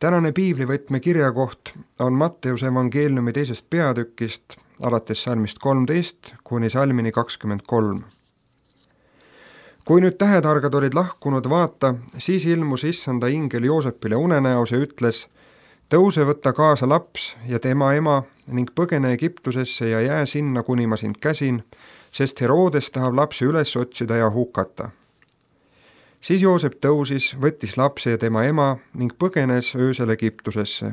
Tänane piiblivõtme kirjakoht on Matteuse evangeeliumi 2. peatükist, alates salmist 13 kuni salmini 23. Kui nüüd tähetargad olid lahkunud, vaata, siis ilmus issanda ingel Joosepile unenäos ja ütles: tõuse, võtta kaasa laps ja tema ema ning põgene Egiptusesse ja jää sinna, kuni ma sind käsin, sest Herodes tahab lapse üles otsida ja hukata. Siis Joosep tõusis, võttis lapse ja tema ema ning põgenes öösel Egiptusesse.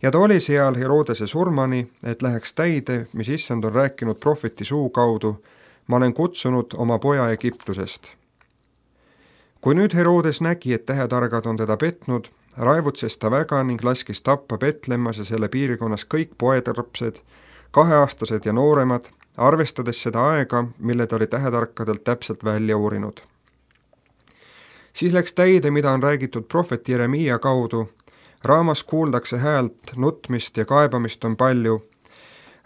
Ja ta oli seal Herodese surmani, et läheks täide, mis issand on rääkinud prohveti suu kaudu: ma olen kutsunud oma poja Egiptusest. Kui nüüd Herodes nägi, et tähetargad on teda petnud, raevutses ta väga ning laskis tappa Betlemmas ja selle piirkonnas kõik poetarpsed, 2-aastased ja nooremad, arvestades seda aega, mille ta oli tähetarkadelt täpselt välja uurinud. Siis läks täide, mida on räägitud prohvet Jeremiia kaudu: raamas kuuldakse häält, nutmist ja kaebamist on palju.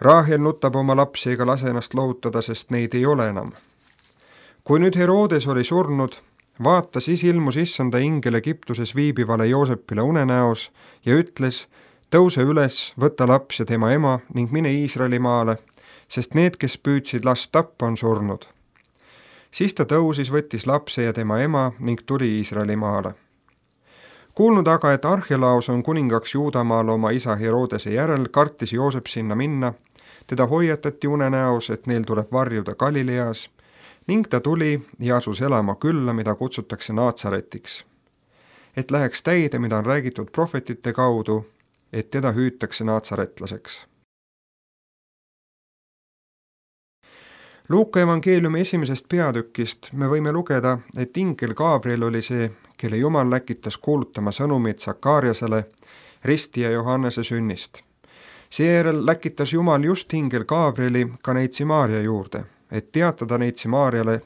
Raahel nutab oma lapsi ega lase ennast lohutada, sest neid ei ole enam. Kui nüüd Herodes oli surnud, vaata, siis ilmus issanda ingel Egiptuses viibivale Joosepile unenäos ja ütles: tõuse üles, võta laps ja tema ema ning mine Iisraeli maale, sest need, kes püüdsid last tappa, on surnud. Siis ta tõusis, võttis lapse ja tema ema ning tuli Iisraeli maale. Kuulnud aga, et Arhelaos on kuningaks Juudamaal oma isa Herodese järel, kartis Joosep sinna minna. Teda hoiatati unenäos, et neil tuleb varjuda Galileas, ning ta tuli ja asus elama külla, mida kutsutakse Naatsaretiks. Et läheks täide, mida on räägitud prohvetite kaudu, et teda hüütakse naatsaretlaseks. Luuka evangeeliumi 1. peatükist me võime lugeda, et ingel Gabriel oli see, kelle Jumal läkitas kuulutama sõnumit Sakariasele ristija Johannese sünnist. Seejärel läkitas Jumal just ingel Gabrieli ka neitsi Maarja juurde, et teatada neitsi Maarjale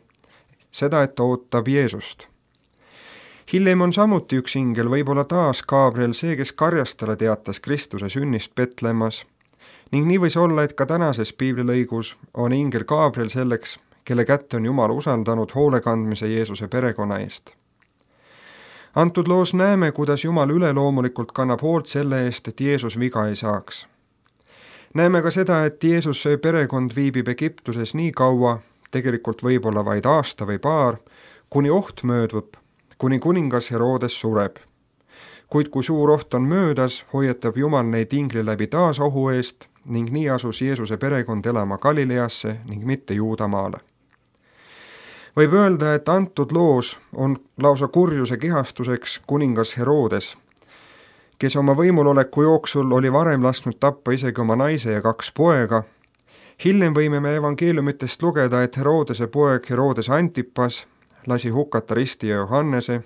seda, et ta ootab Jeesust. Hiljem on samuti üks ingel, võib-olla taas Gabriel, see, kes karjastale teatas Kristuse sünnist Betlemmas, ning nii võis olla, et ka tänases piiblilõigus on ingel Gabriel selleks, kelle kätte on Jumal usaldanud hoolekandmise Jeesuse perekonna eest. Antud loos näeme, kuidas Jumal üleloomulikult kannab hoolt selle eest, et Jeesus viga ei saaks. Näeme ka seda, et Jeesuse perekond viibib Egiptuses nii kaua, tegelikult võib-olla vaid aasta või paar, kuni oht möödub, kuni kuningas Herodes sureb. Kuid kui suur oht on möödas, hoiatab Jumal neid ingli läbi taas ohu eest ning nii asus Jeesuse perekond elama Galileasse ning mitte Juudamaale. Võib öelda, et antud loos on lausa kurjuse kehastuseks kuningas Herodes, kes oma võimuloleku jooksul oli varem lasknud tappa isegi oma naise ja 2 poega. Hiljem võime me evangeeliumitest lugeda, et Herodese poeg Herodes Antipas lasi hukata ristija Johannese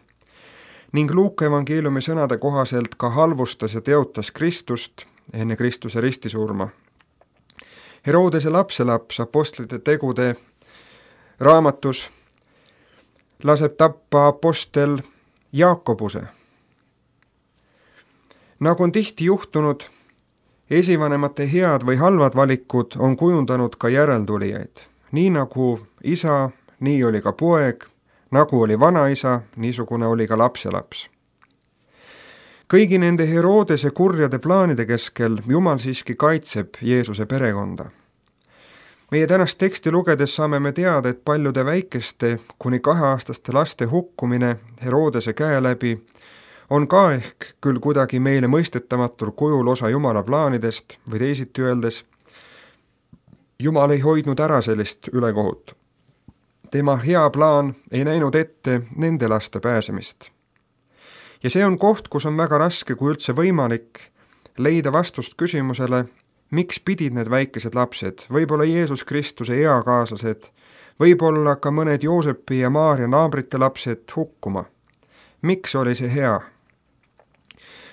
ning Luuka evangeeliumi sõnade kohaselt ka halvustas ja teotas Kristust enne Kristuse ristisurma. Herodese lapselaps apostlite tegude raamatus laseb tappa apostel Jaakobuse. Nagu on tihti juhtunud, esivanemate head või halvad valikud on kujundanud ka järeltulijaid. Nii nagu isa, nii oli ka poeg, nagu oli vanaisa, niisugune oli ka lapselaps. Kõigi nende Herodese kurjade plaanide keskel Jumal siiski kaitseb Jeesuse perekonda. Meie tänast teksti lugedes saame me teada, et paljude väikeste kuni 2-aastaste laste hukkumine Herodese käe läbi on ka ehk küll kuidagi meile mõistetamatul kujul osa Jumala plaanidest või teisiti öeldes, Jumal ei hoidnud ära sellist ülekohut. Tema hea plaan ei näinud ette nende laste pääsemist. Ja see on koht, kus on väga raske, kui üldse võimalik, leida vastust küsimusele, miks pidid need väikesed lapsed, võib-olla Jeesus Kristuse eakaaslased, võib-olla ka mõned Joosepi ja Maarja naabrite lapsed hukkuma. Miks oli see hea?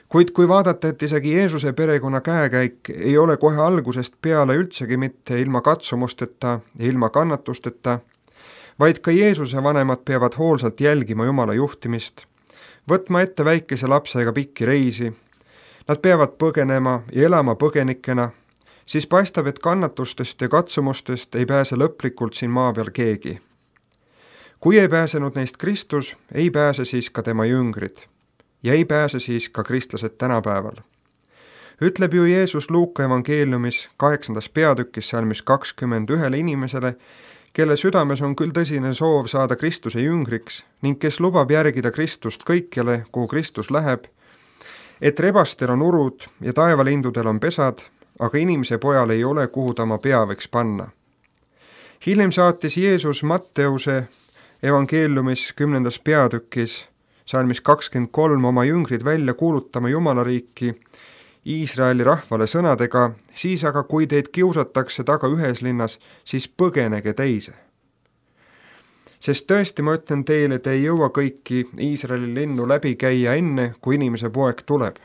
Kuid kui vaadata, et isegi Jeesuse perekonna käekäik ei ole kohe algusest peale üldsegi mitte ilma katsumusteta ja ilma kannatusteta, vaid ka Jeesuse vanemad peavad hoolsalt jälgima Jumala juhtimist, võtma ette väikese lapsega pikki reisi, nad peavad põgenema ja elama põgenikena, siis paistab, et kannatustest ja katsumustest ei pääse lõplikult siin maa peal keegi. Kui ei pääsenud neist Kristus, ei pääse siis ka tema jüngrid. ja ei pääse siis ka kristlased tänapäeval. Ütleb ju Jeesus Luuka evangeeliumis 8. peatükis salmis 20 ühele inimesele, kelle südames on küll tõsine soov saada Kristuse jüngriks ning kes lubab järgida Kristust kõikjale, kuhu Kristus läheb, et rebastel on urud ja taevalindudel on pesad, aga inimese pojal ei ole, kuhu ta oma pea võiks panna. Hiljem saatis Jeesus Matteuse evangeeliumis 10. peatükis salmis 23 oma jüngrid välja kuulutama Jumala riiki Iisraeli rahvale sõnadega, siis aga kui teid kiusatakse taga ühes linnas, siis põgenege teise. Sest tõesti ma ütlen teile, te ei jõua kõiki Iisraeli linnu läbi käia enne, kui inimese poeg tuleb.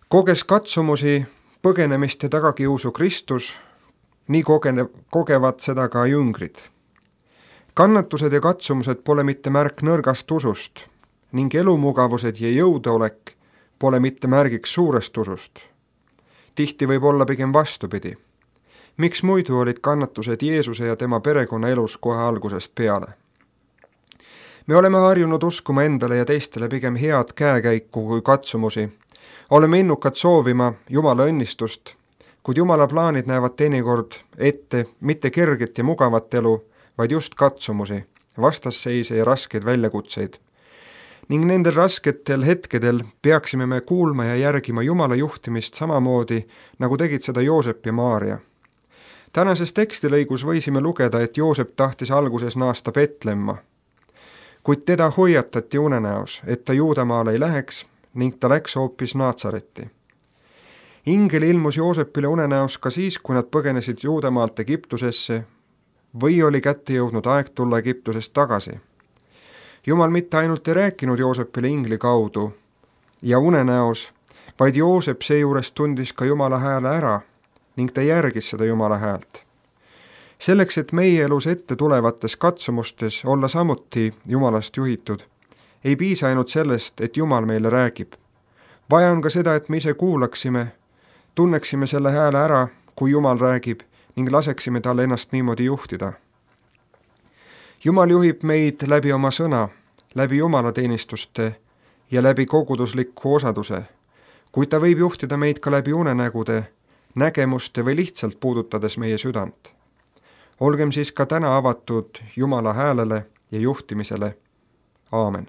Koges katsumusi, põgenemist ja tagakiusu Kristus, nii kogevad seda ka jüngrid. Kannatused ja katsumused pole mitte märk nõrgast usust ning elumugavused ja jõudeolek pole mitte märgiks suurest usust. Tihti võib olla pigem vastupidi. Miks muidu olid kannatused Jeesuse ja tema perekonna elus kohe algusest peale? Me oleme harjunud uskuma endale ja teistele pigem head käekäiku kui katsumusi. Oleme innukad soovima Jumala õnnistust, kuid Jumala plaanid näevad teinekord ette mitte kerget ja mugavat elu, vaid just katsumusi, vastasseise ja raskeid väljakutseid. Ning nendel rasketel hetkedel peaksime me kuulma ja järgima Jumala juhtimist samamoodi, nagu tegid seda Joosep ja Maaria. Tänases tekstilõigus võisime lugeda, et Joosep tahtis alguses naasta Betlemma, kuid teda hoiatati unenäos, et ta Juudamaale ei läheks ning ta läks hoopis Naatsaretti. Ingel ilmus Joosepile unenäos ka siis, kui nad põgenesid Juudamaalt Egiptusesse või oli kätte jõudnud aeg tulla Egiptusest tagasi. Jumal mitte ainult ei rääkinud Joosepile ingli kaudu ja unenäos, vaid Joosep seejuures tundis ka Jumala hääle ära ning ta järgis seda Jumala häält. Selleks, et meie elus ette tulevates katsumustes olla samuti Jumalast juhitud, ei piisa ainult sellest, et Jumal meile räägib. Vaja on ka seda, et me ise kuulaksime, tunneksime selle hääle ära, kui Jumal räägib ning laseksime talle ennast niimoodi juhtida. Jumal juhib meid läbi oma sõna, läbi jumalateenistuste ja läbi kogudusliku osaduse, kuid ta võib juhtida meid ka läbi unenägude, nägemuste või lihtsalt puudutades meie südant. Olgem siis ka täna avatud Jumala häälele ja juhtimisele. Aamen.